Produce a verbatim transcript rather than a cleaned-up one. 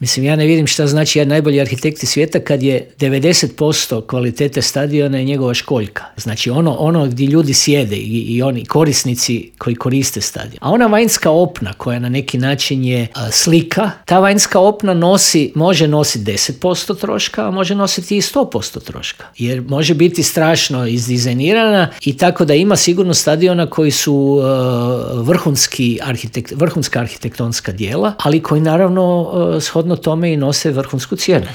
Mislim, ja ne vidim šta znači jedan najbolji arhitekti svijeta kad je devedeset posto kvalitete stadiona je njegova školjka. Znači ono, ono gdje ljudi sjede i, i oni korisnici koji koriste stadion. A ona vanjska opna koja na neki način je a, slika, ta vanjska opna nosi, može nositi deset posto troška, a može nositi i sto posto troška. Jer može biti strašno izdizajnirana i tako da ima sigurno stadiona koji su uh, vrhunski arhitekt, vrhunska arhitektonska djela, ali koji naravno uh, shodno tome i nose vrhunsku cijenu.